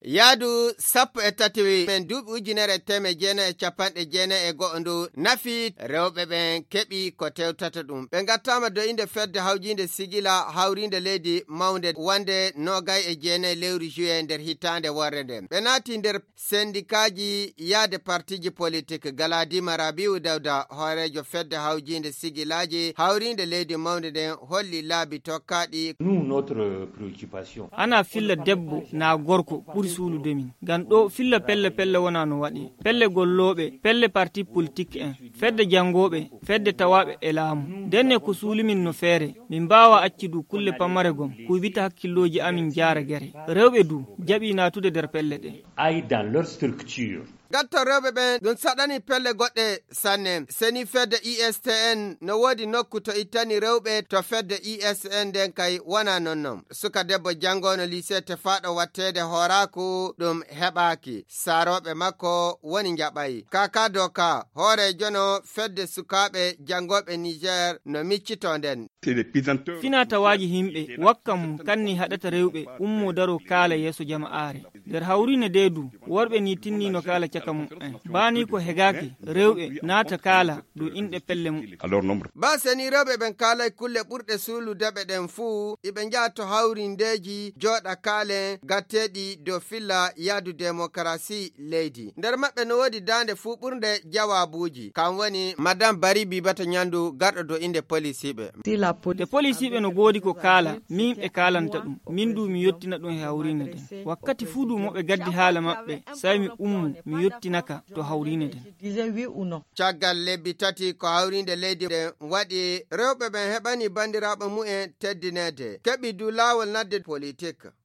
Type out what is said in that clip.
yaadu 13 men duuɓi ujunere teme jeena e capanɗe jeena e go'ondu nafi rewɓe ɓen keɓi ko tewtata ɗum. Ɓe gattama do inde fedde hawjinde sigila hawrinde leydi mawnde wande nogay e jeena lewru juillet nder hitande worre nden. Ɓe naati nder sendikaji yaade partiji politique. Galadima Rabiu Dawda hoorejo fedde hawjinde sigilaji hawrinde leydi mawnde nden holli laabi tokkaɗi. Ana filla debbo na gorko ɓuri suulude min ngam ɗo filla pelle wona no waɗi. Pelle golloɓe, pelle parti politique en, fedde jangoɓe, fedde tawaɓe e laamu. Denne ko suulimin no feere min mbawa accidu kulle pammare gom kuybita hakkilloji amin jaara gere. Rewɓe du jaɓi natude nder pelle ɗe. Gatto rewɓe ɓen ɗum saɗani pelle goɗɗe sanne. Seni fedde ISTN no woodi nokku to ittani rewɓe to fedde ISN nden kay wona nonnon. Suka debbo jangono lycée tefaɗo wattede horaku ɗum heɓaki. Saroɓe makko woni jaɓay. Kaka doka hoorejo no fedde sukaɓe jangoɓe Niger no miccito nden. Finatawaji himɓe wakkam kanni haɗata rewɓe ummo daro kaala yeso jama'are. Nder hawrine deedu worɓe ni tinni no kaala caka mum'en. Bani ko hegaki rewɓe naata kaala dow inɗe pelle mum. Ba seni rewɓe ɓen kaalay kulle ɓurɗe suuludeɓe ɗen fuu iɓe njaha to hawrindeji jooɗa kaalen gatteɗi dow filla yaadu démocratie leydi. Nder maɓɓe no woodi dande fuu ɓurde jawabuji. Kam woni Madame Bari Bibata Nyandu garɗo dow inde policiɓe. De policiɓe no goodi ko kaala min ɓe kaalanta ɗum min du mi yottina ɗum e hawrine den. Wakkati fuu du moɓe gaddi haala maɓɓe sai mi ummu mi yottinaka to hawrine den. Caggal lebbi tati ko hawrinde leydi den waɗi rewɓe ɓen heɓani bandiraɓe mu'en teddinede keɓi du laawol nadde politique.